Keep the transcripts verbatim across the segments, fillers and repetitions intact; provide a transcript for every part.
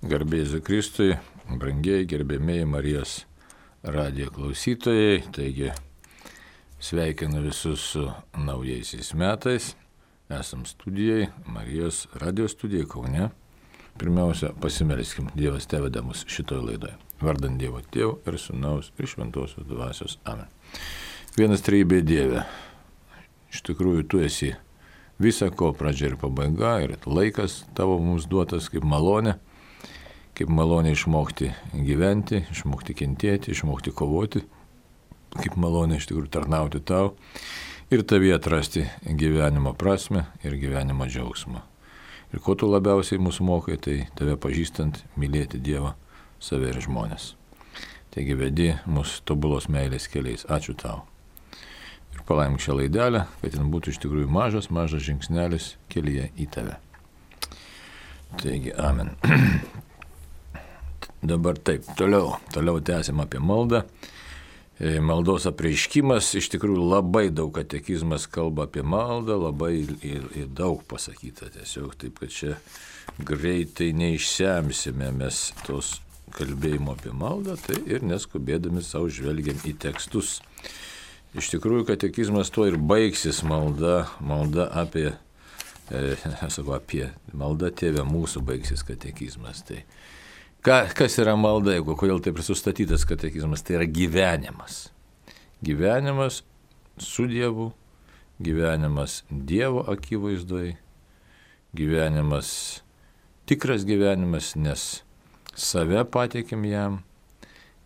Garbėsiu Kristui, brangiai gerbėmėjai Marijos radijo klausytojai, taigi sveikinu visus su naujaisiais metais. Esam studijai, Marijos radijo studijai Kaune. Pirmiausia, pasimelskim, Dievas teveda mus šitoje laidoje. Vardant Dievo Tėvo ir Sūnaus ir Šventosios Dvasios. Amen. Vienas trejybė Dieve. Iš tikrųjų, tu esi visa ko pradžia ir pabaiga ir laikas tavo mums duotas kaip malonė. Kaip malonė išmokti gyventi, išmokti kentėti, išmokti kovoti, kaip malonė iš tikrųjų tarnauti tau ir tavyje atrasti gyvenimo prasmę ir gyvenimo džiaugsmą. Ir ko tu labiausiai mūsų mokai, tai tave pažįstant, mylėti Dievą, save ir žmonės. Taigi vedi mūsų tobulos meilės keliais. Ačiū tau. Ir palaimink šią laidelę, kad jin būtų iš tikrųjų mažas, mažas žingsnelis kelyje į tave. Taigi, amen. Dabar taip, toliau, toliau tęsim apie maldą. Maldos apreiškimas, iš tikrųjų labai daug katekizmas kalba apie maldą, labai ir, ir daug pasakyta tiesiog, taip kad čia greitai neišsemsime mes tos kalbėjimo apie maldą, tai ir neskubėdami savo žvelgiam į tekstus. Iš tikrųjų katekizmas tuo ir baigsis malda, malda apie, e, sakau, apie maldą Tėve mūsų baigsis katekizmas. Tai Ka, kas yra malda, jeigu kodėl taip ir sustatytas katekizmas, tai yra gyvenimas. Gyvenimas su Dievu, gyvenimas Dievo akivaizdoje, gyvenimas, tikras gyvenimas, nes save pateikim jam.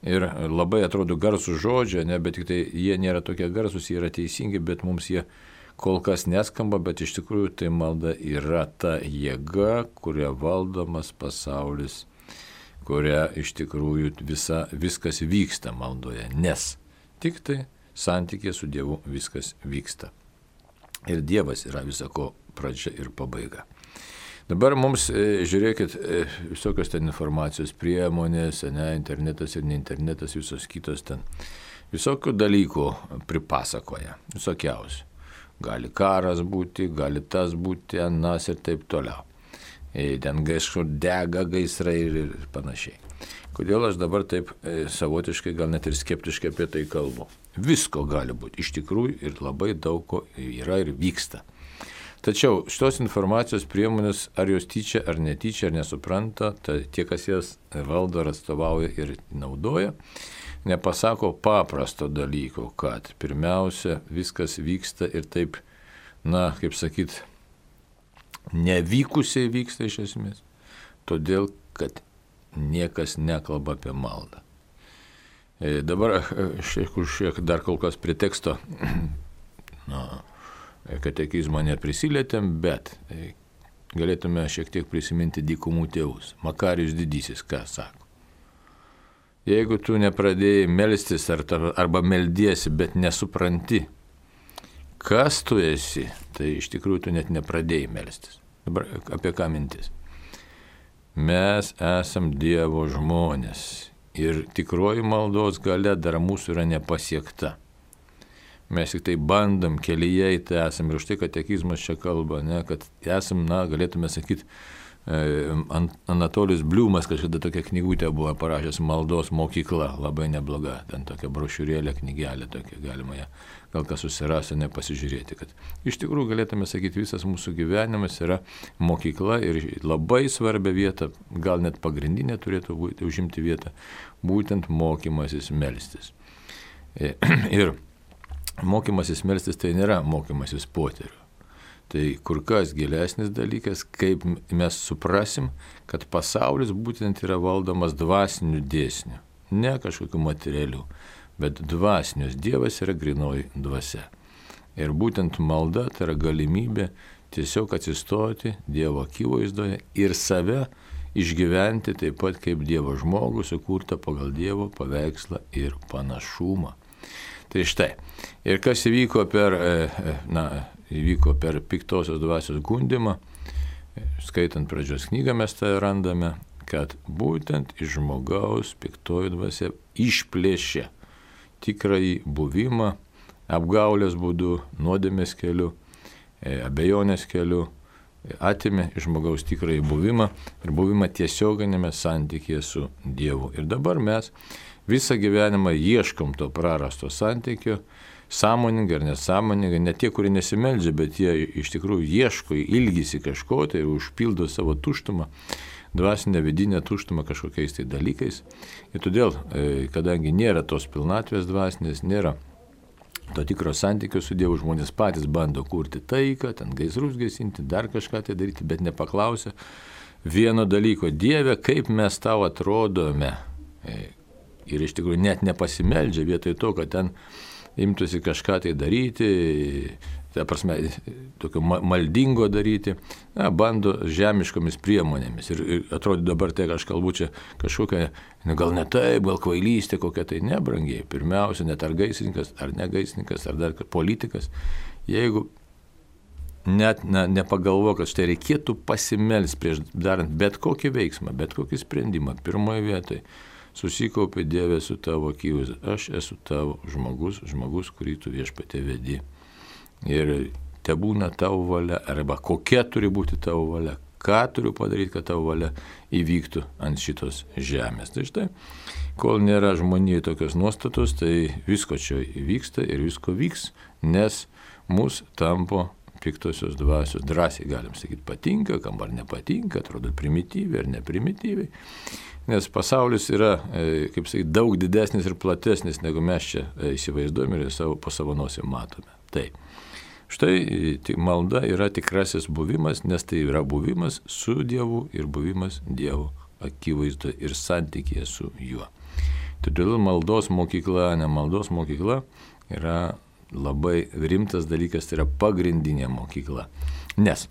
Ir labai atrodo garsų žodžio, ne, bet tik tai jie nėra tokie garsus, jie yra teisingi, bet mums jie kol kas neskamba, bet iš tikrųjų tai malda yra ta jėga, kuria valdomas pasaulis, kuria iš tikrųjų visa, viskas vyksta maldoje, nes tik tai santykė su Dievu viskas vyksta. Ir Dievas yra visako pradžia ir pabaiga. Dabar mums, žiūrėkit, visokios ten informacijos priemonės, ne, internetas ir ne internetas, visos kitos ten, visokių dalykų pripasakoja, visokiausių. Gali karas būti, gali tas būti, anas ir taip toliau. Ten kažkur dega gaisrai ir panašiai. Kodėl aš dabar taip savotiškai, gal net ir skeptiškai apie tai kalbu? Visko gali būti, iš tikrųjų, ir labai daug ko yra ir vyksta. Tačiau šitos informacijos priemonės, ar jos tyčia, ar netyčia, ar nesupranta, tai tie, kas jas valdo, ar atstovauja ir naudoja, nepasako paprasto dalyko, kad pirmiausia, viskas vyksta ir taip, na, kaip sakyt, nevykusiai vyksta iš esmės, todėl, kad niekas nekalba apie maldą. E, dabar šiek, šiek dar kol kas prie teksto na, katekizmo neprisilietėm, bet e, galėtume šiek tiek prisiminti dykumų tėvus. Makarijus didysis, ką sako? Jeigu tu nepradėjai melstis ar, arba meldiesi, bet nesupranti, kas tu esi, tai iš tikrųjų tu net nepradėjai melstis. Dabar apie ką mintis? Mes esam Dievo žmonės ir tikroji maldos galia dar mūsų yra nepasiekta. Mes tik tai bandom kelyje į tai esam ir už tai katekizmas čia kalba, ne, kad esam, na, galėtume sakyti, Anatolijus Bliumas kažkada tokia knygutė buvo parašęs maldos mokykla, labai nebloga, ten tokia brošiūrėlė, knygelė tokia, galima ją gal kas susirasti, nepasižiūrėti, kad iš tikrųjų galėtume sakyti, visas mūsų gyvenimas yra mokykla ir labai svarbią vietą, gal net pagrindinė turėtų būti, užimti vietą, būtent mokymasis melstis. Ir mokymasis melstis tai nėra mokymasis poterių. Tai kur kas gilesnis dalykas, kaip mes suprasim, kad pasaulis būtent yra valdomas dvasinių dėsnių, ne kažkokių materialių, bet dvasinius. Dievas yra grinoji dvasia. Ir būtent malda tai yra galimybė tiesiog atsistoti Dievo akivaizdoje ir save išgyventi taip pat kaip Dievo žmogų, sukurtą pagal Dievo paveikslą ir panašumą. Tai štai, ir kas įvyko per, na, įvyko per piktosios dvasios gundymą, skaitant pradžios knygą mes tai randame, kad būtent iš žmogaus piktoji dvasia išplėšė tikrąjį buvimą, apgaulės būdu, nuodėmės keliu, abejonės keliu, atėmė iš žmogaus tikrąjį buvimą ir buvimą tiesioginėme santykėje su Dievu. Ir dabar mes visą gyvenimą ieškom to prarasto santykio, sąmoningai ar nesąmoningai, ne tie, kurie nesimeldžia, bet jie iš tikrųjų ieško, ilgisi kažko tai ir užpildo savo tuštumą, dvasinę vidinę tuštumą kažkokiais tai dalykais. Ir todėl, kadangi nėra tos pilnatvės dvasinės, nėra to tikro santykio su Dievu, žmonės patys bando kurti taiką, ten gaisrus gesinti, dar kažką tai daryti, bet nepaklausia vieno dalyko: Dieve, kaip mes tau atrodome. Ir iš tikrųjų net nepasimeldžia vietoj to, kad ten imtųsi kažką tai daryti, ta prasme, tokio maldingo daryti, na, bando žemiškomis priemonėmis. Ir, ir atrodo dabar tai aš kalbu čia kažkokia, gal ne taip, gal kvailystė kokia tai, nebrangiai. Pirmiausia, net ar gaisrininkas, ar negaisrininkas, ar dar politikas. Jeigu net na, nepagalvo, kad štai reikėtų pasimelsti prieš darant bet kokį veiksmą, bet kokį sprendimą, pirmoje vietoje susikaupė: Dieve, su tavo akivaizda, aš esu tavo žmogus, žmogus, kurį tu viešpatie vedi. Ir te būna tavo valia, arba kokia turi būti tavo valia, ką turiu padaryti, kad tavo valia įvyktų ant šitos žemės. Tai štai, kol nėra žmonijai tokios nuostatos, tai visko čia įvyksta ir visko vyks, nes mus tampo piktosios dvasios. Drąsiai galim sakyti, patinka, kam ar nepatinka, atrodo primityviai ar neprimityviai. Nes pasaulis yra, kaip sakyti, daug didesnis ir platesnis, negu mes čia įsivaizduojame ir savo, po savo nosim matome. Tai štai malda yra tikrasis buvimas, nes tai yra buvimas su Dievu ir buvimas Dievo akivaizdoje ir santykėje su juo. Todėl maldos mokykla, ne maldos mokykla yra labai rimtas dalykas, tai yra pagrindinė mokykla. Nes,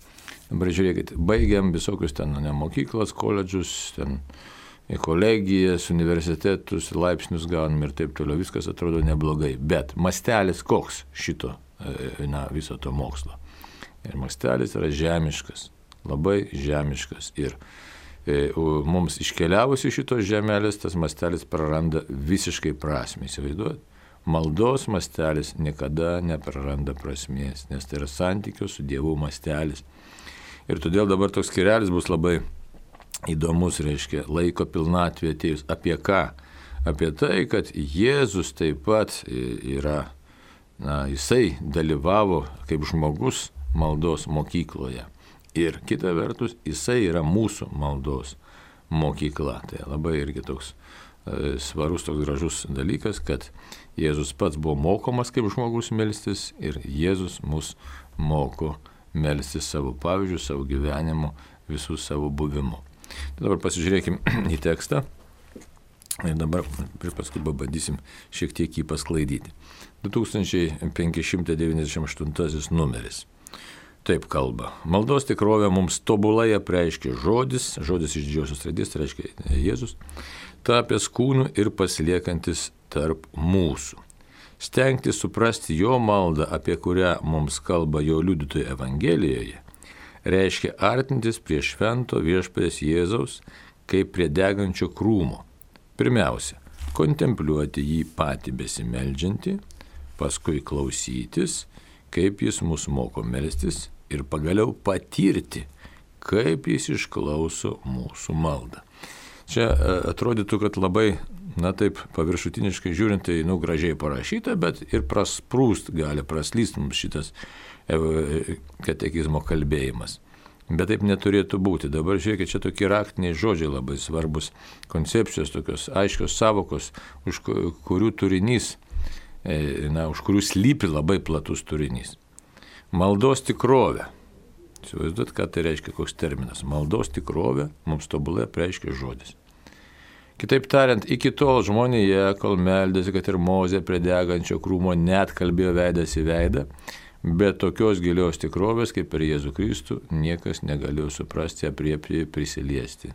dabar žiūrėkit, baigiam visokius ten ne mokyklas, koledžus, ten kolegijas, universitetus, laipsnius gaunam ir taip toliau, viskas atrodo neblogai. Bet mastelis koks šito, na, viso to mokslo? Ir mastelis yra žemiškas, labai žemiškas. Ir e, mums iškeliavus iš šitos žemelės, tas mastelis praranda visiškai prasmę. Įsivaizduojat? Maldos mastelis niekada nepraranda prasmės, nes tai yra santykio su Dievu mastelis. Ir todėl dabar toks skyrelis bus labai įdomus, reiškia, laiko pilnatvė atėjus. Apie ką? Apie tai, kad Jėzus taip pat yra, na, jisai dalyvavo kaip žmogus maldos mokykloje. Ir kita vertus, jisai yra mūsų maldos mokykla. Tai labai irgi toks e, svarus, toks gražus dalykas, kad Jėzus pats buvo mokomas kaip žmogus melstis ir Jėzus mus moko melstis savo pavyzdžių, savo gyvenimu, visų savo buvimu. Tai dabar pasižiūrėkim į tekstą ir dabar paskui pabandysim šiek tiek jį pasklaidyti. du tūkstančiai penki šimtai devyniasdešimt aštuntasis numeris. Taip kalba. Maldos tikrovę mums tobulai apreiškia žodis, žodis iš didžiosios raidės, tai reiškia Jėzus, tapęs kūnu ir pasiliekantis tarp mūsų. Stengtis suprasti jo maldą, apie kurią mums kalba jo liudytojai Evangelijoje, reiškia artintis prie švento viešpaties Jėzaus kaip prie degančio krūmo. Pirmiausia, kontempliuoti jį patį besimeldžiantį, paskui klausytis, kaip jis mus moko melstis ir pagaliau patirti, kaip jis išklauso mūsų maldą. Čia atrodytų, kad labai, na taip, paviršutiniškai žiūrint, tai, nu, gražiai parašyta, bet ir prasprūst gali, praslyst mums šitas katekizmo kalbėjimas. Bet taip neturėtų būti. Dabar žiūrėkit, čia tokie raktiniai žodžiai labai svarbus, koncepcijos tokios aiškios savokos, už kurių turinys, na, už kurių slypi labai platus turinys. Maldos tikrovė. Įsivaizduot, ką tai reiškia, koks terminas. Maldos tikrovė mums tobulai apreiškia žodis. Kitaip tariant, iki tol žmonėje, kol meldėsi, kad ir Mozė prie degančio krūmo net kalbėjo veidas į veidą, bet tokios gilios tikrovės, kaip per Jėzų Kristų, niekas negalėjo suprasti, apriepti, prisiliesti.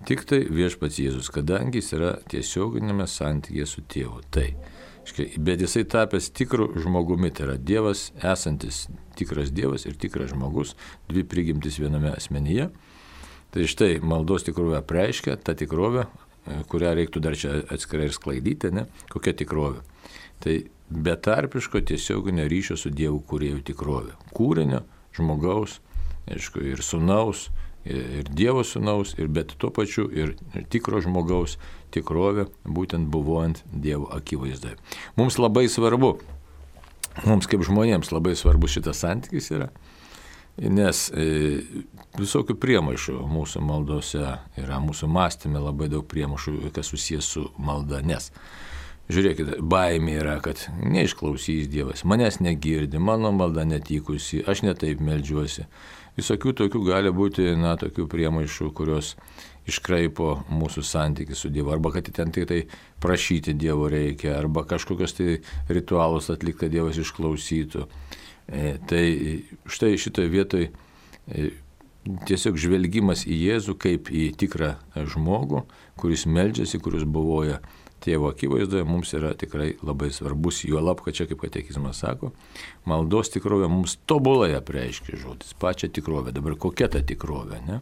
Tik tai viešpats Jėzus, kadangi jis yra tiesioginėme santykėje su tėvu. Tai, bet jisai tapęs tikru žmogumi, tai yra Dievas, esantis tikras Dievas ir tikras žmogus, dvi prigimtis viename asmenyje. Tai štai maldos tikrovė apreiškia tą tikrovę, kurią reiktų dar čia atskirai ir sklaidyti, ne? Kokia tikrovė? Tai betarpiško tiesioginio ryšio su Dievu kūrėjų tikrovė. Kūrinio, žmogaus aišku, ir sūnaus, ir Dievo sūnaus, ir bet tuo pačiu ir tikro žmogaus tikrovė, būtent buvojant Dievo akivaizdoje. Mums labai svarbu, mums kaip žmonėms labai svarbu šitas santykis yra, nes e, visokių priemaišų mūsų maldose yra, mūsų mąstyme labai daug priemaišų, kas susijęs su malda, nes žiūrėkite, baimė yra, kad neišklausys Dievas, manęs negirdi, mano malda netikusi, aš netaip meldžiuosi. Visokių tokių gali būti, na, tokių priemaišų, kurios iškraipo mūsų santykį su Dievu, arba kad ten tik tai prašyti Dievo reikia, arba kažkokios tai ritualus atlikti, kad Dievas išklausytų. E, tai štai šitoje vietoje e, tiesiog žvelgimas į Jėzų kaip į tikrą žmogų, kuris meldžiasi, kuris buvoja Tėvo akivaizdoje, mums yra tikrai labai svarbus, juolab, kad čia, kaip katekizmas sako, maldos tikrovė mums tobulai apreiškia žodis, pačią tikrovę. Dabar kokia ta tikrovė, ne?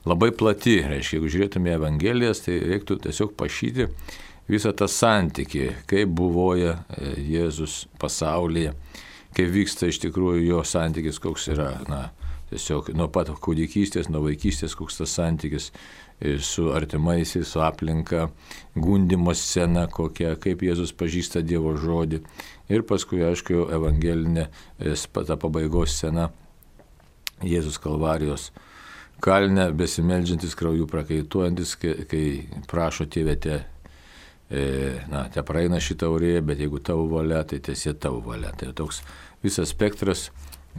Labai plati, reiškia, jeigu žiūrėtume Evangelijas, tai reiktų tiesiog pašyti visą tą santykį, kaip buvoja Jėzus pasaulyje, kaip vyksta iš tikrųjų jo santykis, koks yra, na, tiesiog nuo pat kūdikystės, nuo vaikystės, koks tas santykis su artimaisiais, su aplinka, gundimo scena kokia, kaip Jėzus pažįsta Dievo žodį. Ir paskui, aišku, evangelinė ta pabaigos scena, Jėzus Kalvarijos kalne, besimeldžiantis, krauju prakaituojantis, kai, kai prašo Tėve, te, e, na, te praeina šitą taurė, bet jeigu tavo valia, tai tiesie tavo valia. Tai toks visas spektras,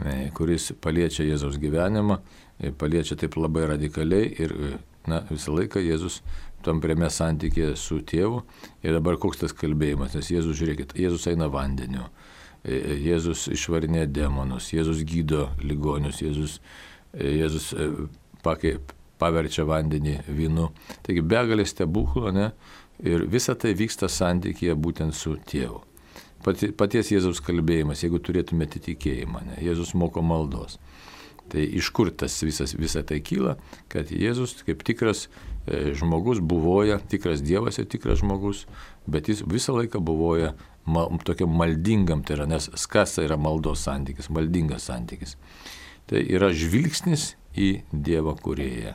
e, kuris paliečia Jėzaus gyvenimą, e, paliečia taip labai radikaliai ir na, visą laiką Jėzus tam prieme santykė su Tėvu. Ir dabar koks tas kalbėjimas, nes Jėzus, žiūrėkit, Jėzus eina vandeniu, Jėzus išvarinė demonus, Jėzus gydo ligonius, Jėzus, Jėzus pakei, paverčia vandenį vynu. Taigi begalės stebuklų, ne? Ir visa tai vyksta santykėje būtent su Tėvu. Paties Jėzaus kalbėjimas, jeigu turėtumėte tikėjimą, ne? Jėzus moko maldos. Tai iš kur tas visas, visa tai kyla, kad Jėzus kaip tikras e, žmogus buvoja, tikras Dievas ir tikras žmogus, bet jis visą laiką buvoja mal, tokiam maldingam, tai yra, nes kas tai yra maldos santykis, maldingas santykis. Tai yra žvilgsnis į Dievą kūrėją,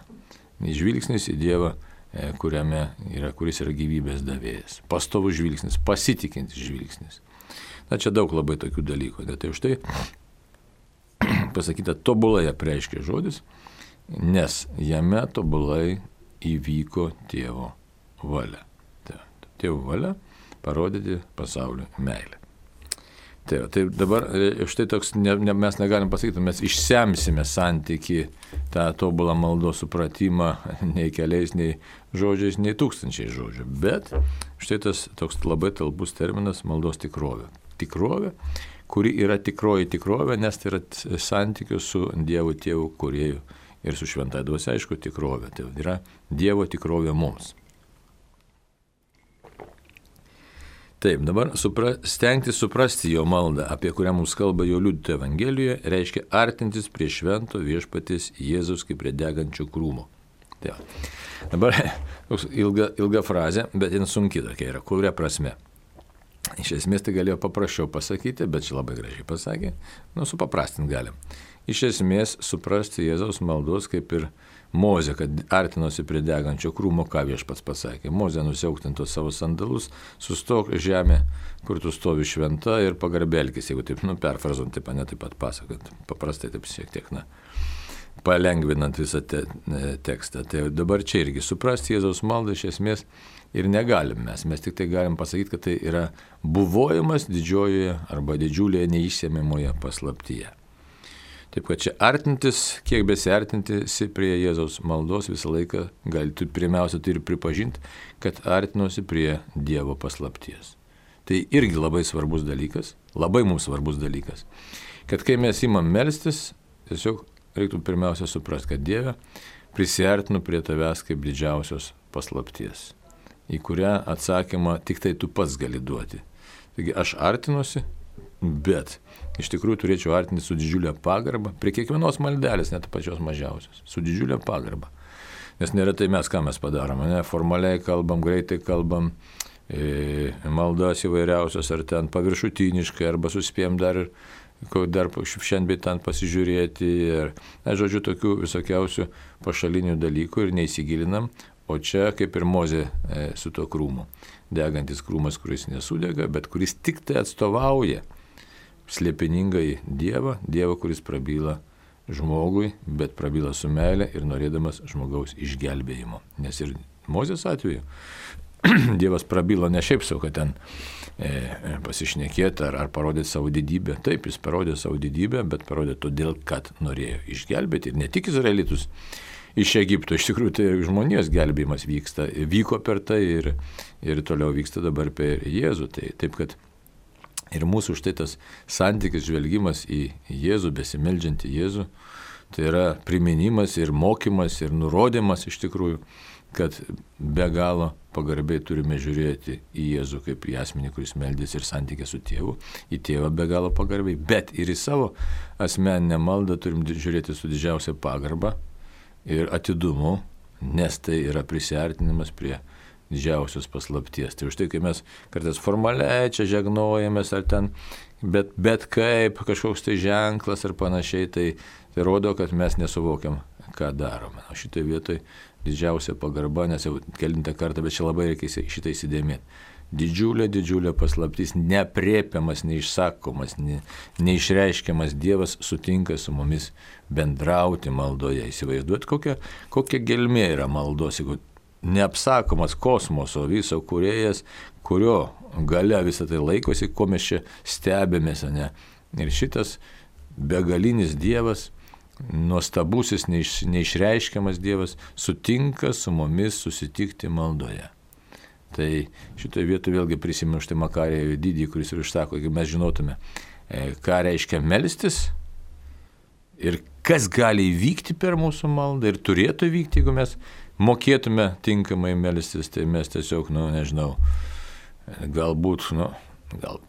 žvilgsnis į Dievą, e, kuriame yra, kuris yra gyvybės davėjas, pastovus žvilgsnis, pasitikintis žvilgsnis. Na čia daug labai tokių dalykų, tai už tai pasakyta tobulai apreiškia žodis, nes jame tobulai įvyko Tėvo valia. Tėvo valia parodyti pasaulio meilę. Tai, tai dabar štai toks, ne, ne, mes negalim pasakyti, mes išsemsime santyki tą tobulą maldos supratimą nei keliais, nei žodžiais, nei tūkstančiai žodžių. Bet štai tas toks labai talpus terminas maldos tikrovė. Tikrovė, kuri yra tikroji tikrovė, nes tai yra santykių su Dievu Tėvu kūrėju ir su šventąja dvasia, aišku, tikrovė. Tai yra Dievo tikrovė mums. Taip, dabar supra, stengti suprasti jo maldą, apie kurią mums kalba jo liudytojo Evangelijoje, reiškia artintis prie švento viešpaties Jėzaus kaip prie degančio krūmo. Tai dabar ilga, ilga frazė, bet jin sunki tokia yra, kuria prasme. Iš esmės tai galėjo paprasčiau pasakyti, bet čia labai gražiai pasakė, nu supaprastinti galim. Iš esmės suprasti Jėzaus maldos kaip ir Mozė, kad artinosi prie degančio krūmo, ką Viešpats pasakė. Mozė nusiauktintos savo sandalus, sustok žemė, kur tu stovi šventa ir pagarbelkis, jeigu taip, nu perfrazuojant, taip, ne taip pat pasakant, paprastai taip šiek tiek, na, palengvinant visą te, ne, tekstą. Tai dabar čia irgi suprasti Jėzaus maldą iš esmės ir negalim mes. Mes tik tai galim pasakyti, kad tai yra buvojimas didžiojoje arba didžiulėje neišsėmimoje paslaptyje. Taip, kad čia artintis, kiek besiartinti prie Jėzaus maldos visą laiką gali, tu pirmiausia turi pripažinti, kad artinosi prie Dievo paslapties. Tai irgi labai svarbus dalykas, labai mums svarbus dalykas, kad kai mes imam melstis, tiesiog reiktų pirmiausia suprasti, kad Dieve prisiartinu prie tavęs kaip didžiausios paslapties, į kurią atsakymą tik tai tu pats gali duoti. Taigi aš artinuosi, bet iš tikrųjų turėčiau artinti su didžiulė pagarba, prie kiekvienos maldelės, net pačios mažiausios, su didžiulė pagarba. Nes neretai mes ką mes padarome, ne? Formaliai kalbam, greitai kalbam, e, maldas įvairiausios, ar ten paviršutiniškai, arba suspėjom dar ir dar šiandien bei ten pasižiūrėti ir, na, žodžiu, tokių visokiausių pašalinių dalykų ir neįsigilinam, o čia kaip ir Mozė e, su to krūmu. Degantis krūmas, kuris nesudega, bet kuris tik tai atstovauja slėpiningai Dievą, Dievą, kuris prabyla žmogui, bet prabyla su meile ir norėdamas žmogaus išgelbėjimo. Nes ir Mozės atveju Dievas prabylo ne šiaip sau, kad ten e, pasišnekėti ar, ar parodyti savo didybę. Taip, jis parodė savo didybę, bet parodė todėl, kad norėjo išgelbėti. Ir ne tik izraelitus iš Egipto, iš tikrųjų tai ir žmonijos gelbėjimas vyksta, vyko per tai ir, ir toliau vyksta dabar per Jėzų. Tai, taip, kad ir mūsų štai tas santykis, žvelgimas į Jėzų, besimeldžiantį Jėzų, tai yra priminimas ir mokymas ir nurodymas iš tikrųjų, kad be galo pagarbiai turime žiūrėti į Jėzų kaip į asmenį, kuris meldėsi ir santykė su tėvu, į tėvą be galo pagarbiai, bet ir į savo asmeninę maldą turim žiūrėti su didžiausia pagarba ir atidumu, nes tai yra prisiartinimas prie didžiausios paslapties. Tai už tai, kai mes kartais formaliai čia žegnojamės ar ten, bet, bet kaip kažkoks tai ženklas ar panašiai, tai, tai rodo, kad mes nesuvokiam, ką darome. O šitai vietoj didžiausia pagarba, nes jau kelintą kartą, bet čia labai reikia šitą įsidėmėti. Didžiulė, didžiulė paslaptis, neaprėpiamas, neišsakomas, ne, neišreiškiamas Dievas sutinka su mumis bendrauti maldoje. Įsivaizduot, kokia, kokia gelmė yra maldos, jeigu neapsakomas kosmoso viso kūrėjas, kurio gale visą tai laikosi, ko mes čia stebėmės, ne? Ir šitas begalinis Dievas, nuostabusis, neiš, neišreiškiamas Dievas sutinka su mumis susitikti maldoje. Tai šitoje vietoje vėlgi prisimenu štai Makarijo didį, kuris ir išsako, jeigu mes žinotume, ką reiškia melstis ir kas gali įvykti per mūsų maldą ir turėtų įvykti, jeigu mes mokėtume tinkamai melstis, tai mes tiesiog, nu, nežinau, galbūt, nu, gal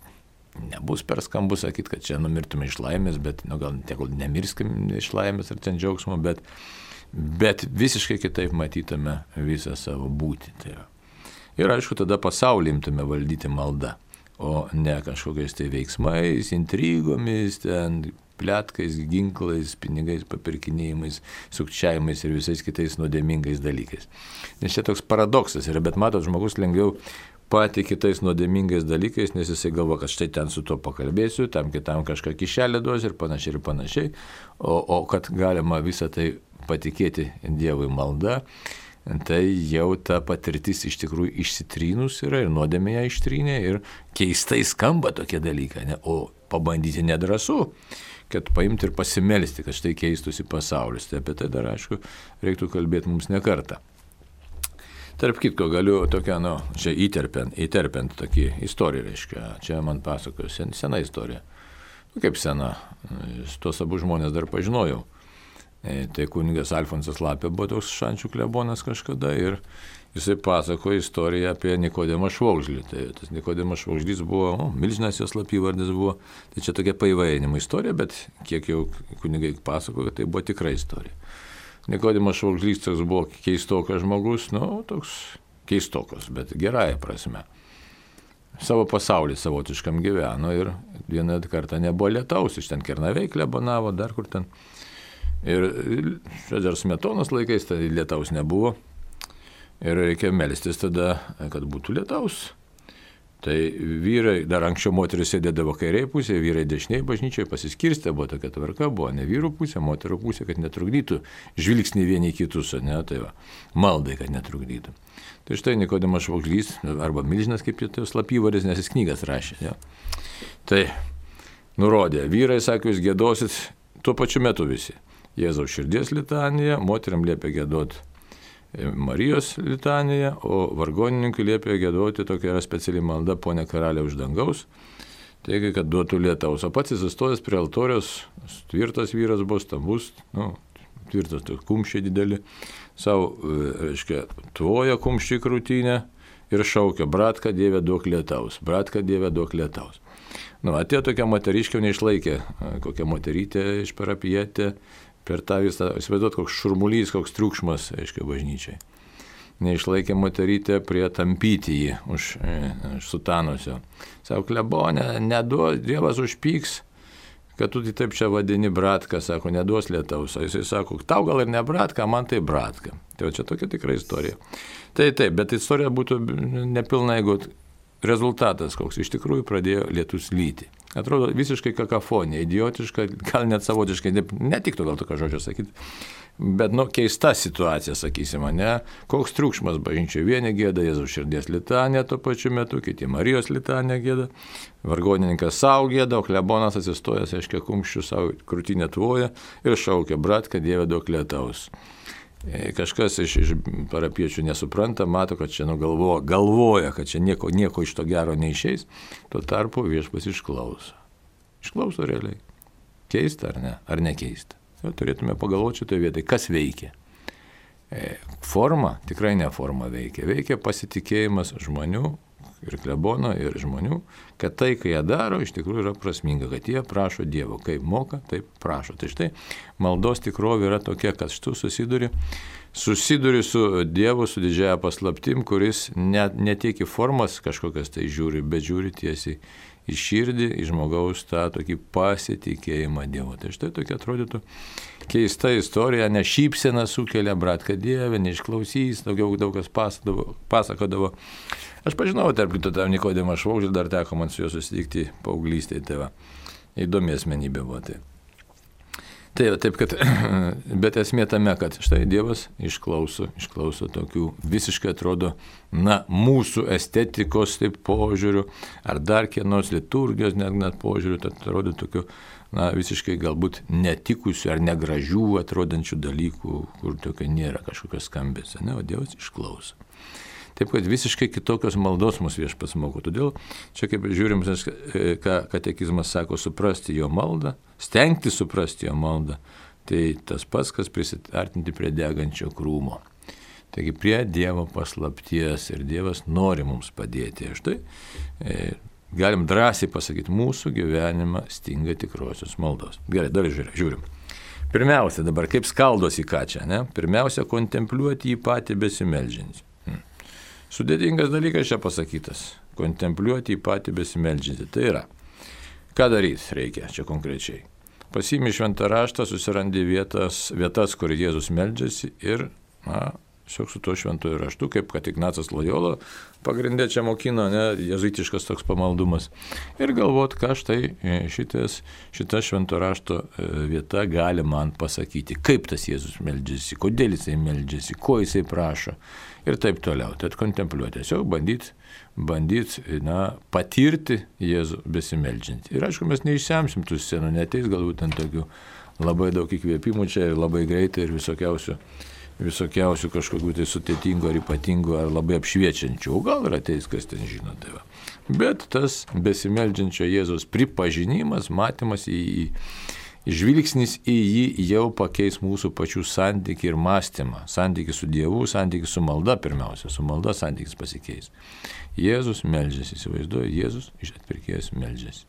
nebus per skambu sakyti, kad čia numirtume iš laimės, bet nu, gal tegul nemirskim iš laimės ar ten džiaugsmo, bet, bet visiškai kitaip matytume visą savo būtį. Tai ir aišku, tada pasaulį imtume valdyti maldą, o ne kažkokiais tai veiksmais, intrigomis, ten pletkais, ginklais, pinigais, papirkinėjimais, sukčiavimais ir visais kitais nuodėmingais dalykais. Nes čia toks paradoksas yra, bet matot, žmogus lengviau patį kitais nuodėmingais dalykais, nes jisai galvo, kad štai ten su to pakalbėsiu, tam kitam kažką kišelę duosiu ir panašiai ir panašiai, o, o kad galima visą tai patikėti Dievui malda, tai jau ta patirtis iš tikrųjų išsitrynus yra ir nuodėmė ją ištrynė ir keistai skamba tokie dalykai, ne? O pabandyti nedrąsu, kad paimti ir pasimelsti, kad štai keistųsi pasaulis. Tai apie tai dar, aišku, reiktų kalbėti mums ne kartą. Tarp kitko, galiu tokią, nu, čia įterpiant, įterpiant tokį istoriją, reiškia, čia man pasakoju, sen, sena istorija. Nu, kaip sena, tuos abu žmonės dar pažinojau. E, tai kunigas Alfonsas Lapė buvo toks Šančių klebonas kažkada ir jisai pasakojo istoriją apie Nikodemą Švogžlį. Tai tas Nikodemas Švogžlys buvo, o, milžinas jos slapyvardis buvo, tai čia tokia paįvairinimo istorija, bet kiek jau kunigai pasakojo, tai buvo tikra istorija. Nikodemas Švogžlys toks buvo keistokas žmogus, nu, toks keistokas, bet gerąją prasme. Savo pasaulį savotiškam gyveno ir vieną kartą nebuvo lietaus, iš ten Kernavėj klebonavo, dar kur ten. Ir dar Smetonos laikais tai lietaus nebuvo ir reikia melstis tada, kad būtų lietaus. Tai vyrai, dar anksčiau moteris sėdėdavo kairiai pusėje, vyrai dešiniai bažnyčioje pasiskirstė, buvo tokia tvarka, buvo ne vyrų pusė, moterų pusė, kad netrukdytų žvilgsnį vieni kitus, ne, tai va, maldai, kad netrukdytų. Tai štai Nikodemas Švogžlys, arba milžinas, kaip tai slapyvardis, nes jis knygas rašė. Ja. Tai nurodė, vyrai, sakė, jūs gėdosit tuo pačiu metu visi. Jėzaus širdies litaniją, moteriam liepė gėdoti Marijos litaniją, o vargonininkui liepė giedoti, tokia yra speciali malda, Pone karaliau iš dangaus, teigia, kad duotų lietaus. O pats įsistojęs prie altoriaus, tvirtas vyras buvo, stambus, nu, tvirtas, tai kumščiai dideli, savo, reiškia, tvoja kumščiai krūtinę ir šaukia, bratka Dieve duok lietaus, bratka Dieve duok lietaus. Nu, atėjo tokia moteriškė, neišlaikė, kokia moterytė iš parapietė, per tą visą, įsivaizduot, koks šurmulys, koks triukšmas, aiškiai, bažnyčiai. Neišlaikė moterytė prie tampyti jį už, už sutanusio. Sako, klebonė, neduos, Dievas užpyks, kad tu tai taip čia vadini bratka, sako, neduos lietaus, o jisai sako, tau gal ir ne bratka, man tai bratka. Tai čia tokia tikra istorija. Tai taip, bet istorija būtų nepilna, jeigu rezultatas koks, iš tikrųjų pradėjo lietus lyti. Atrodo visiškai kakafonija, idiotiška, gal net savotiškai, netiktų gal tokio žodžio sakyti, bet, nu, keista situacija, sakysime, ne? Koks triukšmas bažnyčioje, vieni gėda Jėzaus širdies litanę tuo pačiu metu, kiti Marijos litanę gėda, vargonininkas savo gėda, o klebonas atsistojęs, aiškiai, kumščių savo krūtinę tvoja ir šaukia, bratka, Dieve duok lietaus. Kažkas iš, iš parapiečių nesupranta, mato, kad čia nu, galvo, galvoja, kad čia nieko, nieko iš to gero neišeis, tuo tarpu viešpas išklauso. Išklauso realiai. Keista ar ne? Ar nekeista? Jo, turėtume pagalvoti šitoje vietoje, kas veikia. E, forma, tikrai ne forma veikia. Veikia pasitikėjimas žmonių ir klebono, ir žmonių, kad tai, kai jie daro, iš tikrųjų yra prasminga, kad jie prašo Dievo, kaip moka, taip prašo. Tai štai maldos tikrovė yra tokia, kad tu susiduri, susiduri su Dievu, su didžiaja paslaptim, kuris net, ne tiek į formas kažkokias tai žiūri, bet žiūri tiesiai į širdį, į žmogaus tą tokį pasitikėjimą Dievu. Tai štai tokia atrodytų keista istorija, ne šypsena sukelia, bratka, Dieve, neišklausys, daugiau daug kas pasakodavo. pasakodavo. Aš pažinau, tarp kito, tą Nikodimą Švogždį, dar teko man su juo susitikti paauglystėje, tai va, įdomi asmenybė buvo. Tai. Tai taip, kad, bet esmė tame, kad štai Dievas išklauso, išklauso tokių visiškai atrodo, na, mūsų estetikos taip požiūrių, ar dar kienos liturgijos net, net požiūrių, tai atrodo tokių, na, visiškai galbūt netikusių ar negražių atrodančių dalykų, kur tokio nėra kažkokios skambės, ne, o Dievas išklauso. Taip, kad visiškai kitokios maldos mus viešpats moko. Todėl čia kaip žiūrim, ką katekizmas sako, suprasti jo maldą, stengti suprasti jo maldą, tai tas pats, kas prisiartinti prie degančio krūmo. Taigi prie Dievo paslapties ir Dievas nori mums padėti. Štai e, galim drąsiai pasakyti, mūsų gyvenimą stinga tikrosios maldos. Gerai, dar žiūrim. Pirmiausia, dabar kaip skaldos į ką čia, ne? Pirmiausia, kontempliuoti jį patį besimeldžiantį. Sudėtingas dalykas čia pasakytas. Kontempliuoti į patį besimeldžiantį. Tai yra, ką daryti reikia čia konkrečiai. Pasiimi šventą raštą, susirandi vietas, vietas, kur Jėzus meldžiasi ir, na, tiesiog su tuo šventuoju raštu, kaip kad Ignacas Lojola pagrindė čia mokino, ne, jezuitiškas toks pamaldumas. Ir galvot, ką štai šitas, šita švento rašto vieta gali man pasakyti, kaip tas Jėzus meldžiasi, kodėl jisai meldžiasi, ko jisai prašo. Ir taip toliau. Tad kontempliuoti, tiesiog bandyti, bandyt, na, patirti Jėzų besimeldžiantį. Ir aišku, mes neišsemsim tų scenų, neteis galbūt ant tokių labai daug įkvėpimų čia ir labai greitai ir visokiausių, visokiausių kažkokių tai sudėtingų ar ypatingų ar labai apšviečiančių. O gal ir ateis, kas ten žino, tai va. Bet tas besimeldžiančio Jėzaus pripažinimas, matymas į jį, žvilgsnis į jį jau pakeis mūsų pačių santykį ir mąstymą. Santykį su Dievu, santykį su malda pirmiausia. Su malda santykis pasikeis. Jėzus meldžiasi, įsivaizduoju, Jėzus iš atpirkėjos meldžiasi.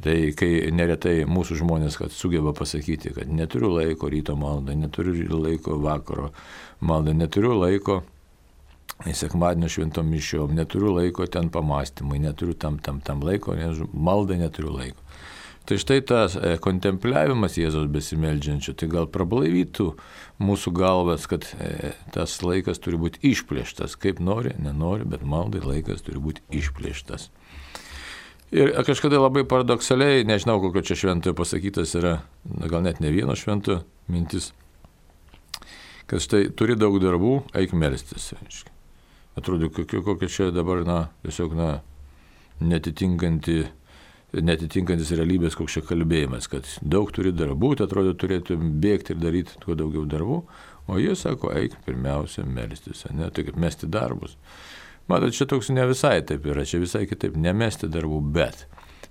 Tai kai neretai mūsų žmonės, kad sugeba pasakyti, kad neturiu laiko ryto maldai, neturiu laiko vakaro maldai, neturiu laiko sekmadienio šventom mišiom, neturiu laiko ten pamastymui, neturiu tam, tam, tam laiko, maldai neturiu laiko. Tai štai tas kontempliavimas Jėzaus besimeldžiančio, tai gal prablaivytų mūsų galvas, kad tas laikas turi būti išplėštas, kaip nori, nenori, bet maldai laikas turi būti išplėštas. Ir kažkada labai paradoksaliai, nežinau, kokio čia šventojo pasakytas yra, gal net ne vieno šventojo mintis, kad štai turi daug darbų, eik melstis. Atrodo, kokia čia dabar, na, tiesiog, na, netitinkanti netitinkantis realybės koks čia kalbėjimas, kad daug turi darbų, tai atrodo turėtų bėgti ir daryti kuo daugiau darbų, o jie sako, eik pirmiausia melstis, ne, tai kaip mesti darbus. Matot, čia toks ne visai taip yra, čia visai kitaip, nemesti darbų, bet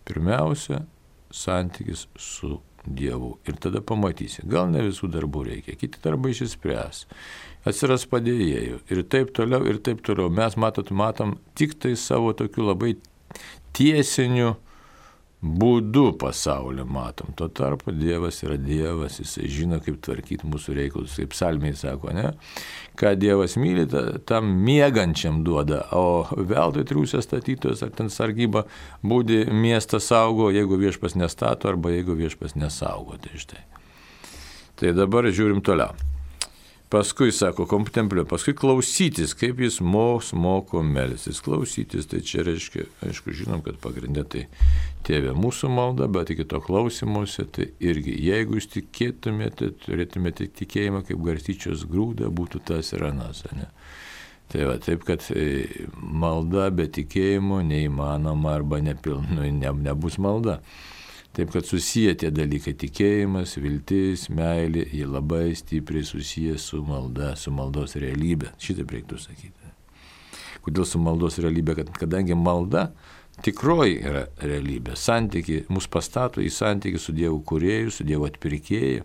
pirmiausia santykis su Dievu ir tada pamatysi, gal ne visų darbų reikia, kiti darbai išsispręs, atsiras padėjėjų ir taip toliau, ir taip toliau. Mes matot, matom tik tai savo tokiu labai tiesiniu būdu pasaulį matom. Tuo tarpu Dievas yra Dievas, jisai žino, kaip tvarkyti mūsų reikalus, kaip psalmiai sako, ne? Ką Dievas myli, tam miegančiam duoda, o veltui triūsia statytojas ar ten sargyba būdi miestą saugo, jeigu viešpas nestato arba jeigu viešpas nesaugo. Tai štai. Tai dabar žiūrim toliau. Paskui, sako, kontempliuoti, paskui klausytis, kaip jis mos moko melstis. Klausytis, tai čia reiškia, aišku, žinom, kad pagrindė tai Tėve mūsų malda, bet iki to klausimuose, tai irgi, jeigu jūs tikėtumėte, turėtumėte tikėjimą, kaip garstyčios grūda, būtų tas ir anas, ne? Tai va, taip, kad malda be tikėjimo neįmanoma arba nepilnu, ne, nebus malda. Taip, kad susiję tie dalykai – tikėjimas, viltis, meilė, jie labai stipriai susiję su malda, su maldos realybė. Šitaip reiktų sakyti. Kodėl su maldos realybė? Kad, kadangi malda tikroji yra realybė. Santykiai mus pastato į santykį su Dievu kūrėju, su Dievu atpirkėju.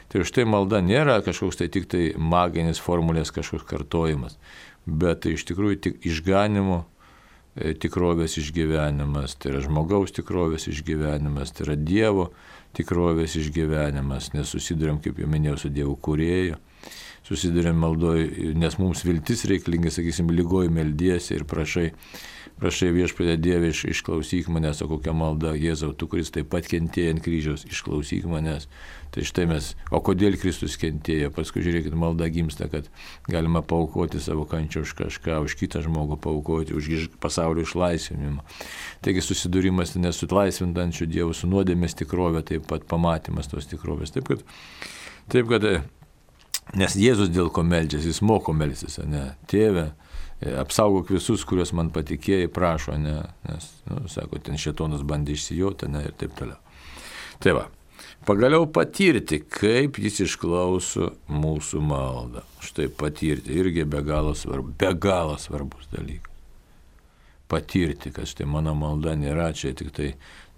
Tai štai malda nėra kažkoks tai tik tai maginis formulės kažkoks kartojimas, bet tai iš tikrųjų tik išganimo tikrovės išgyvenimas, tai yra žmogaus tikrovės išgyvenimas, tai yra Dievo tikrovės išgyvenimas, nes susidurėm, kaip jau minėjau, su Dievu kūrėju, susidurėm maldoj, nes mums viltis reikalinga, sakysim, lygoj meldiesi ir prašai, prašai Viešpatie Dieve, iš, išklausyk manęs, o kokia malda, Jėzau, tu, kuris taip pat kentėjai ant kryžiaus, išklausyk manęs. Tai štai mes, o kodėl Kristus kentėjo? Paskui žiūrėkit, malda gimsta, kad galima paaukoti savo kančią už kažką, už kitą žmogų paaukoti, už pasaulio išlaisvinimą. Taigi susidūrimas nesutlaisvintančių Dievų su nuodėmės tikrovė, taip pat pamatymas tos tikrovės. Taip kad, taip kad, nes Jėzus dėl ko meldžiasi, jis moko melstis, ne? Tėve, apsaugok visus, kuriuos man patikėjai, prašo, ne? Nes, nu, sako, ten šėtonas bandė išsijoti, ne? Ir taip toliau. Tai va. Pagaliau patirti, kaip jis išklauso mūsų maldą. Štai patirti irgi be galo svarbu, be galo svarbus dalykas. Patirti, kad štai mano malda nėra čia tik tai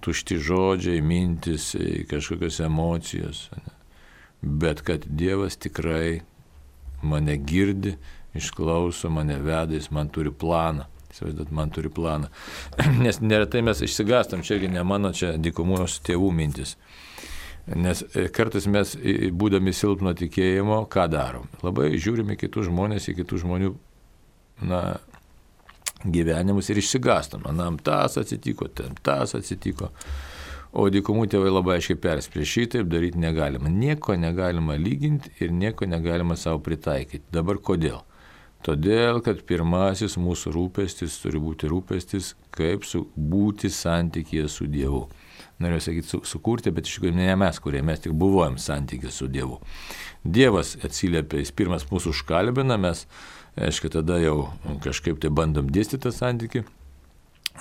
tušti žodžiai, mintis, kažkokios emocijos, ne? Bet kad Dievas tikrai mane girdi, išklauso, mane veda, jis man turi planą. Įsivaizduot, man turi planą. Nes neretai mes išsigastam, čia irgi ne mano, čia dykumos tėvų mintis. Nes kartais mes, būdami silpno tikėjimo, ką darom? Labai žiūrime kitus žmonės, į kitų žmonių na, gyvenimus ir išsigastam. Manam, tas atsitiko, ten tas atsitiko. O dykumų tėvai labai aiškiai perspėja, šitaip daryti negalima. Nieko negalima lyginti ir nieko negalima savo pritaikyti. Dabar kodėl? Todėl, kad pirmasis mūsų rūpestis turi būti rūpestis, kaip su, būti santykyje su Dievu. Noriu sakyti, su, sukurti, bet iš tikrųjų ne mes, kurie mes tik buvojam santykiai su Dievu. Dievas atsiliepia, jis pirmas mūsų užkalbina, mes, aišku, tada jau kažkaip tai bandom dėstyti tą santykį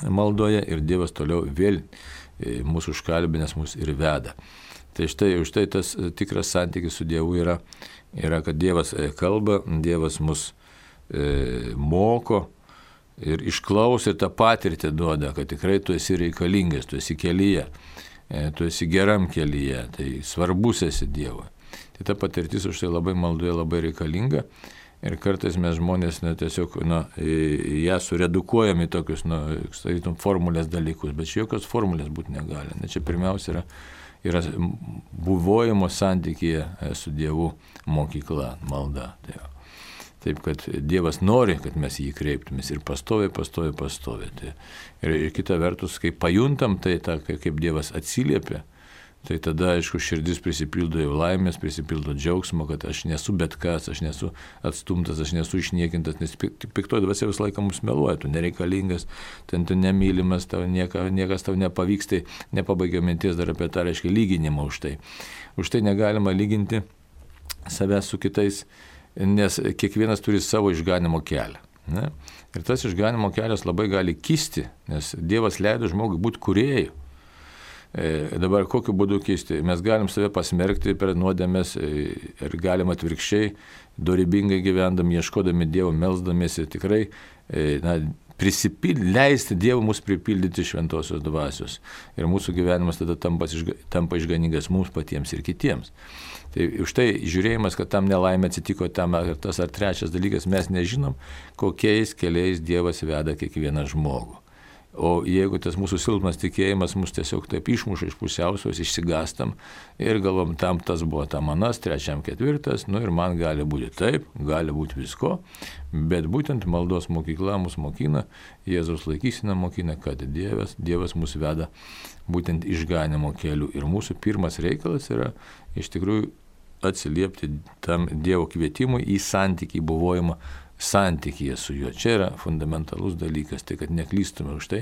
maldoje ir Dievas toliau vėl mūsų užkalbinęs mus ir veda. Tai štai, štai tas tikras santykis su Dievu yra, yra, kad Dievas kalba, Dievas mus e, moko, ir išklauso ir tą patirtį duoda, kad tikrai tu esi reikalingas, tu esi kelyje, tu esi geram kelyje, tai svarbus esi Dievui. Tai ta patirtis už tai labai maldoje labai reikalinga ir kartais mes žmonės na, tiesiog na, ją suredukuojam į tokius na, sakytum, formulės dalykus, bet čia jokios formulės būti negali. Na, čia pirmiausia yra, yra buvojimo santykyje su Dievu mokykla, malda. Tai jau. Taip, kad Dievas nori, kad mes jį kreiptumės ir pastoviai, pastoviai, pastoviai. Tai, ir, ir kita vertus, kai pajuntam tai, ta, kaip Dievas atsiliepia, tai tada, aišku, širdis prisipildo jau laimės, prisipildo džiaugsmo, kad aš nesu bet kas, aš nesu atstumtas, aš nesu išniekintas, nes piktoji dvasia visą laiką mums meluoja, tu nereikalingas, ten tu nemylimas, tau nieka, niekas tau nepavyks, tai nepabaigia minties dar apie tą, reiškia, lyginimą už tai. Už tai negalima lyginti savęs su kitais, nes kiekvienas turi savo išganimo kelią. Ne? Ir tas išganimo kelias labai gali kisti, nes Dievas leido žmogui būti kūrėju. E, dabar kokiu būdu kisti? Mes galim save pasmerkti per nuodėmes ir galim atvirkščiai, dorybingai gyvendami, ieškodami Dievo, melsdamiesi tikrai e, na, prisipildyti, leisti Dievui mus pripildyti šventosios dvasios. Ir mūsų gyvenimas tada tampa, tampa išganingas mums patiems ir kitiems. Tai už tai žiūrėjimas, kad tam nelaimė atsitiko tam ar tas ar trečias dalykas, mes nežinom, kokiais keliais Dievas veda kiekvieną žmogų. O jeigu tas mūsų silpnas tikėjimas mus tiesiog taip išmuša iš pusiausvėros, išsigastam ir galvom, tam tas buvo tam anas, trečiam ketvirtas, nu ir man gali būti taip, gali būti visko, bet būtent maldos mokykla mus mokina, Jėzaus laikysena mokina, kad Dievas, Dievas mus veda būtent išganimo keliu. Ir mūsų pirmas reikalas yra iš tikrųjų atsiliepti tam Dievo kvietimui į santykį, buvojimą santykyje su juo. Čia yra fundamentalus dalykas, tai kad neklystume už tai.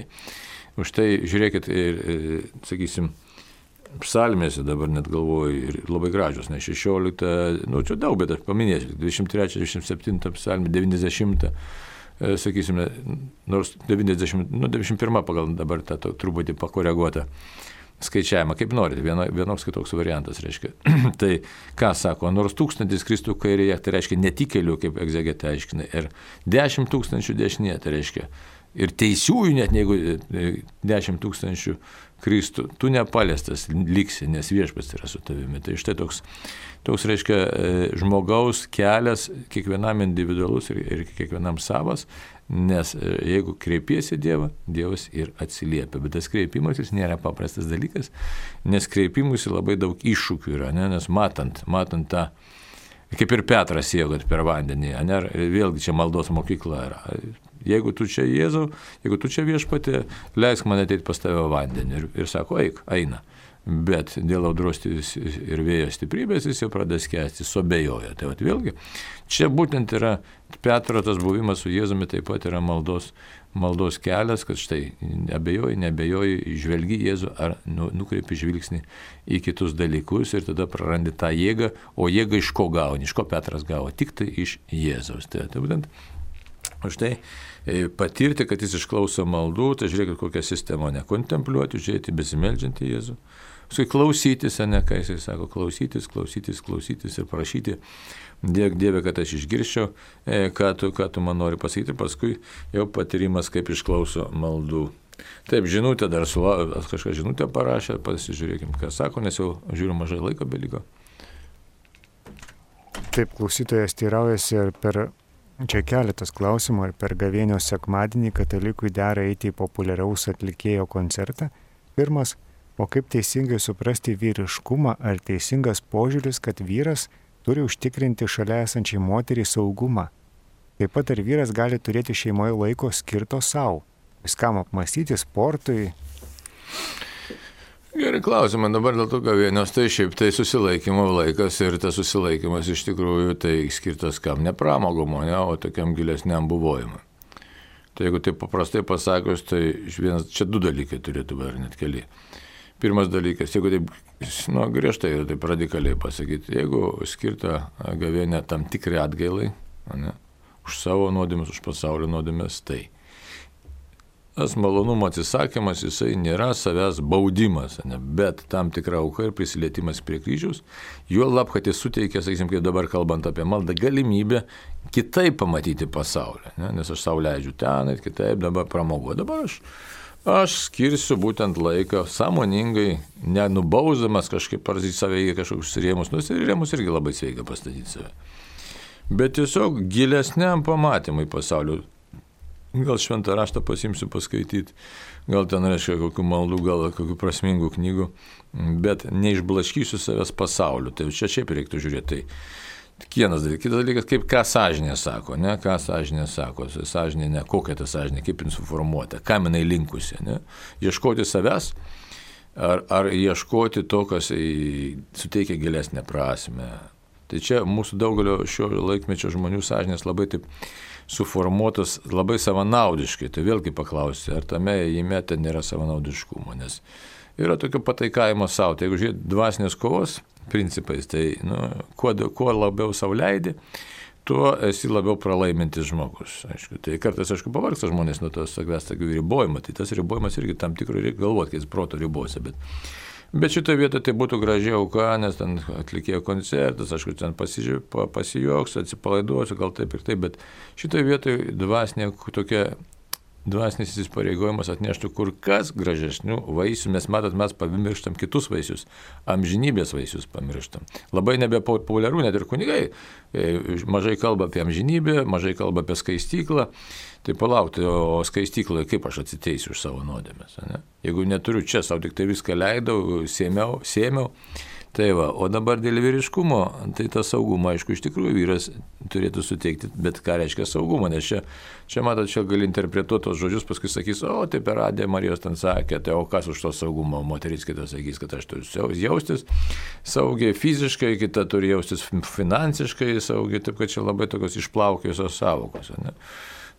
Už tai, žiūrėkit, ir, ir, sakysim, psalmėse dabar net galvoju, ir labai gražios, ne šešiolikta, nu čia daug, bet aš paminėsiu, dvidešimt trečia, dvidešimt septinta psalmė, devyniasdešimta, sakysime, nors devyniasdešimt, nu devyniasdešimt pirma pagal dabar tą truputį pakoreguotą skaičiavimą, kaip norite, vieno, vienoks kitoks variantas, reiškia. Tai ką sako, nors tūkstantis kristų kairėje, tai reiškia netikėlių, kaip egzegetė aiškina, ir dešimt tūkstančių dešinėje, tai reiškia ir teisiųjų, net jeigu dešimt tūkstančių kristų, tu nepaliestas liksi, nes viešpats yra su tavimi. Tai štai toks, toks reiškia, žmogaus kelias kiekvienam individualus ir, ir kiekvienam savas, nes jeigu kreipiesi Dievą, Dievas ir atsiliepia. Bet tas kreipimasis nėra paprastas dalykas, nes kreipimusi labai daug iššūkių yra, ne? Nes matant, matant tą, kaip ir Petras ėjo per vandenį, ne? Vėlgi čia maldos mokykla yra. Jeigu tu čia Jėzau, jeigu tu čia viešpatie, leisk man ateiti pas tave vandenį. Ir, ir sako, eik, eina. Bet dėl audros ir vėjo stiprybės jis jau pradės skęsti, suabejoja. Tai vat, vėlgi, čia būtent yra Petro tas buvimas su Jėzumi, taip pat yra maldos, maldos kelias, kad štai abejoji, neabejoji, žvelgi Jėzų ar nu, nukreipi žvilgsnį į kitus dalykus ir tada prarandi tą jėgą, o jėgą iš ko gauni, iš ko Petras gavo, tik tai iš Jėzaus. Tai, tai būtent už tai patirti, kad jis išklauso maldų, tai žiūrėkit kokią sistemą, ne kontempliuoti, žiūrėti, besimeldžiantį Jėzų. Paskui klausytis, ne, ką jisai sako, klausytis, klausytis, klausytis ir prašyti, dėk Dieve, kad aš išgirščiau, ką tu, ką tu man nori pasakyti, paskui jau patyrimas, kaip išklauso maldų. Taip, žinutė dar su, kažką žinutę parašė, pasižiūrėkim, ką sako, nes jau žiūriu mažai laiko beliko. Taip, klausytojas teiraujasi ir per čia keletas klausimų, ar per gavėnios sekmadienį katalikui dera eiti į populiaraus atlikėjo koncertą. Pirmas, o kaip teisingai suprasti vyriškumą, ar teisingas požiūris, kad vyras turi užtikrinti šalia esančiai moteriai saugumą. Taip pat ar vyras gali turėti šeimoje laiko skirto savo, viskam apmąstyti, sportui. Gerai klausimą, dabar dėl to gavėnios, tai šiaip tai susilaikymo laikas ir tas susilaikymas iš tikrųjų tai skirtas kam, ne pramogumo, ne, o tokiam gilesniam buvojimui. Tai jeigu taip paprastai pasakius, tai vienas, čia du dalykai turėtų būti, ar net keli. Pirmas dalykas, jeigu taip, nu, griežtai, taip radikaliai pasakyti, jeigu skirta gavėnė tam tikrai atgailai, ne, už savo nuodėmes, už pasaulio nuodėmes, tai tas malonumo atsisakymas, jisai nėra savęs baudimas, ne, bet tam tikra auka ir prisilietimas prie kryžiaus, juo lab, kad jis suteikia, sakysim, kaip dabar kalbant apie maldą, galimybę kitaip pamatyti pasaulį, ne, nes aš savo leidžiu ten ir kitaip dabar pramogu. Dabar aš Aš skirsiu būtent laiką sąmoningai, nenubausdamas kažkaip ar į save į kažkokius rėmus, nors ir rėmus irgi labai sveika pastatyti save. Bet tiesiog gilesniam pamatymui pasaulio. Gal šventą raštą pasimsiu paskaityti, gal ten reiškia kokių maldų, gal kokių prasmingų knygų, bet neišblaškysiu savęs pasauliu. Tai čia šiaip reiktų žiūrėti. Tai vienas dalykas. Kitas dalykas, kaip ką sąžinė sako, ne, ką sąžinė sako, sąžinė, ne, kokia ta sąžinė, kaip jin suformuota, kam jinai linkusi, ne, ieškoti savęs, ar, ar ieškoti to, kas suteikia gilesnę prasmę. Tai čia mūsų daugelio šio laikmečio žmonių sąžinės labai taip suformuotos, labai savanaudiškai, tai vėlgi paklausti, ar tame įme ten nėra savanaudiškumo, nes yra tokio pataikavimo savo, tai jeigu žiūrėt dvasinės kovos principais, tai nu, kuo, kuo labiau savo leidi, tuo esi labiau pralaimintis žmogus. Aišku, tai kartais, aišku, pavargsta žmonės nuo tos savęs tokių ribojimų, tai tas ribojimas irgi tam tikrų reikia galvoti, kai jis proto ribose, bet, bet šitoje vietoje tai būtų gražiai auka, nes ten atlikėjo koncertas, aišku, ten pasijuoksiu, atsipalaiduosiu, gal taip ir taip, bet šitoje vietoje dvasinė tokia dvasinis įsipareigojimas atneštų kur kas gražesnių vaisių, nes matot, mes pamirštam kitus vaisius, amžinybės vaisius pamirštam. Labai nebepopuliaru, net ir kunigai mažai kalba apie amžinybę, mažai kalba apie skaistyklą. Tai palaukti, o skaistykloje kaip aš atsiteisiu už savo nuodėmes, ne? Jeigu neturiu čia, savo tik tai viską leidau, sėmiau, sėmiau. Tai va, o dabar dėl vyriškumo, tai tą saugumą, aišku, iš tikrųjų vyras turėtų suteikti, bet ką reiškia saugumą, nes čia, čia matot, čia gali interpretuoti tos žodžius, paskui sakys, o, tai per radiją Marijos ten sakė, tai o kas už to saugumą, moteris kita sakys, kad aš turiu jaustis saugiai fiziškai, kita turi jaustis finansiškai saugiai, taip kad čia labai tokios išplaukėjusios savokos, ne?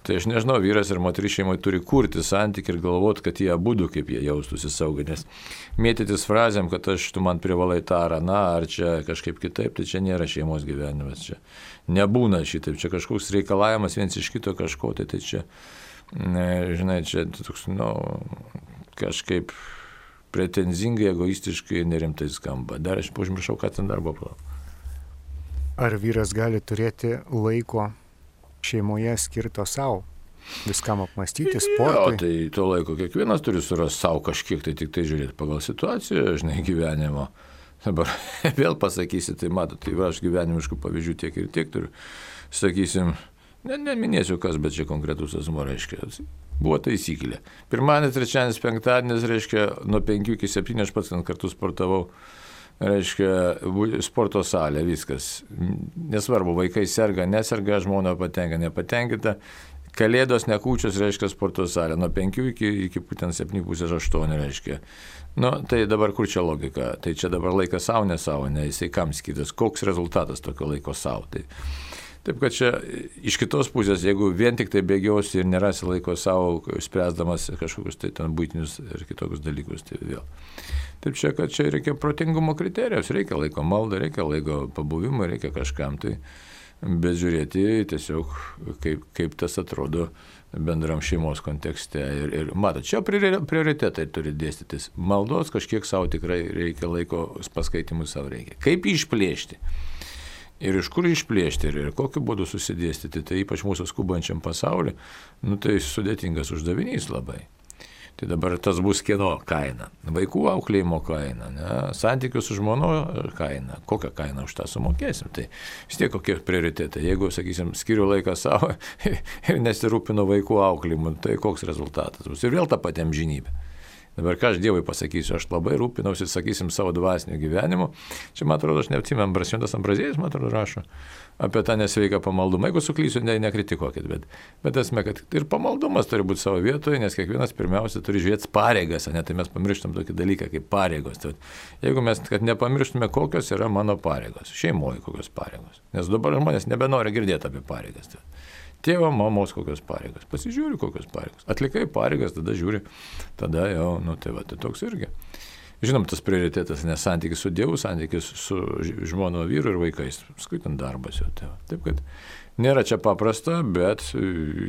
Tai aš nežinau, vyras ir moteris šeimoje turi kurti santykį ir galvoti, kad jie abudu kaip jie jaustųsi saugiai, nes mėtytis frazėm, kad aš tu man privalai tą ar aną, ar čia kažkaip kitaip, tai čia nėra šeimos gyvenimas, čia nebūna šitaip, čia kažkoks reikalavimas viens iš kito kažko, tai tai čia, ne, žinai, čia toks, nu, kažkaip pretenzingai, egoistiškai, nerimtai skamba. Dar aš užmiršau, ką ten darbo plau. Ar vyras gali turėti laiko šeimoje skirto savo, viskam apmastyti, sportui? Jo, tai to laiko kiekvienas turi surasti savo kažkiek, tai tik tai žiūrėti pagal situaciją, žinai, gyvenimo. Dabar vėl pasakysi, tai matot, tai va, aš gyvenimiškų pavyzdžių tiek ir tiek turiu. Sakysim, ne, neminėsiu kas, bet čia konkretus asmuo, reiškia, buvo taisyklė. Pirmadienis, trečiadienis, penktadienis, reiškia, nuo penkių iki septynių aš pats kartu sportavau. Reiškia, sporto salė, viskas. Nesvarbu, vaikai serga, neserga, žmona patenka, nepatenkita. Kalėdos, nekūčios, reiškia, sporto salė. Nuo penkių iki, iki būtent septynių pusės aštuonių, reiškia. Nu, tai dabar kur čia logika? Tai čia dabar laikas savo, ne savo, ne jisai kam skirtas. Koks rezultatas tokio laiko savo? Tai, taip, kad čia iš kitos pusės, jeigu vien tik tai bėgiosi ir nerasi laiko savo, spręsdamas kažkokius tai ten būtinius ir kitokius dalykus, tai vėl. Taip čia, kad čia reikia protingumo kriterijos, reikia laiko maldą, reikia laiko pabuvimą, reikia kažkam tai, bet žiūrėti tiesiog, kaip, kaip tas atrodo bendram šeimos kontekste. Ir, ir matot, čia prioritetai turi dėstytis. Maldos kažkiek savo tikrai reikia laiko, paskaitimui savo reikia. Kaip jį išplėšti? Ir iš kur išplėšti ir, ir kokiu būdu susidėstyti, tai ypač mūsų skubančiam pasauliu, nu tai sudėtingas uždavinys labai. Tai dabar tas bus kieno kaina, vaikų auklėjimo kaina, ne? Santykių su žmono kaina, kokią kainą už tą sumokėsim, tai vis tiek kokie prioritetai. Jeigu, sakysim, skiriu laiką savo ir nesirūpinu vaikų auklėjimu, tai koks rezultatas bus. Ir vėl ta pati amžinybė. Dabar ką aš Dievui pasakysiu, aš labai rūpinausi, sakysim, savo dvasiniu gyvenimu. Čia, man atrodo, aš neatsimenu, Šventas Ambraziejas, man atrodo, rašo apie tą nesveiką pamaldumą. Jeigu suklysiu, ne, nekritikuokit, bet, bet esmė, kad ir pamaldumas turi būti savo vietoje, nes kiekvienas pirmiausia turi žiūrėti pareigas, ne, tai mes pamirštam tokį dalyką kaip pareigos. Tai, jeigu mes, kad nepamirštume, kokios yra mano pareigos, šeimoje kokios pareigos, nes dabar žmonės nebenori girdėti apie pareigas. Tai, tėvo, mamos kokios pareigos, pasižiūri kokios pareigos, atlikai pareigas, tada žiūri, tada jau, nu tai va, tai toks irgi. Žinom, tas prioritetas, nes santykis su Dievu, santykis su žmono vyru ir vaikais, skaitant darbas jau. Tai va. Taip, kad nėra čia paprasta, bet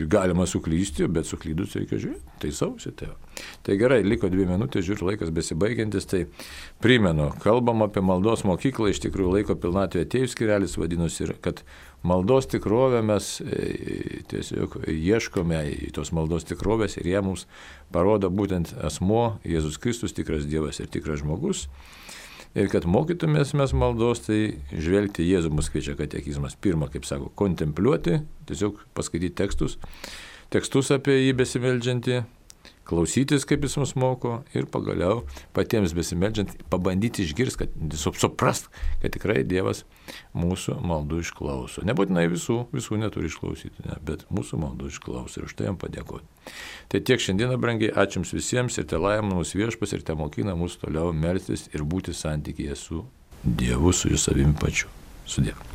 galima suklysti, bet suklydus reikia žiūrėti, tai sausi. Tai, tai gerai, liko dvi minutės, žiūriu, laikas besibaigiantis, tai primenu, kalbam apie maldos mokyklą, iš tikrųjų laiko pilnatvė atėjus skirelis vadinosi ir kad maldos tikrovę mes tiesiog ieškome į tos maldos tikrovės ir ją mums parodo būtent asmuo, Jėzus Kristus, tikras Dievas ir tikras žmogus. Ir kad mokytumės mes maldos, tai žvelgti Jėzų mus kviečia katekizmas. Pirma, kaip sako, kontempliuoti, tiesiog paskaityti tekstus, tekstus apie jį besimeldžiantį, klausytis, kaip jis mus moko ir pagaliau patiems besimeldžiant, pabandyti išgirsti, kad suprast, kad tikrai Dievas mūsų maldų išklauso. Nebūtinai visų, visų neturi išklausyti, ne, bet mūsų maldų išklauso ir už tai jam padėkoti. Tai tiek šiandieną, brangiai, ačiū jums visiems ir te laimina mūsų viešpas ir te mokina mūsų toliau melstis ir būti santykyje su Dievu, su jų savimi pačiu. Su Dievu.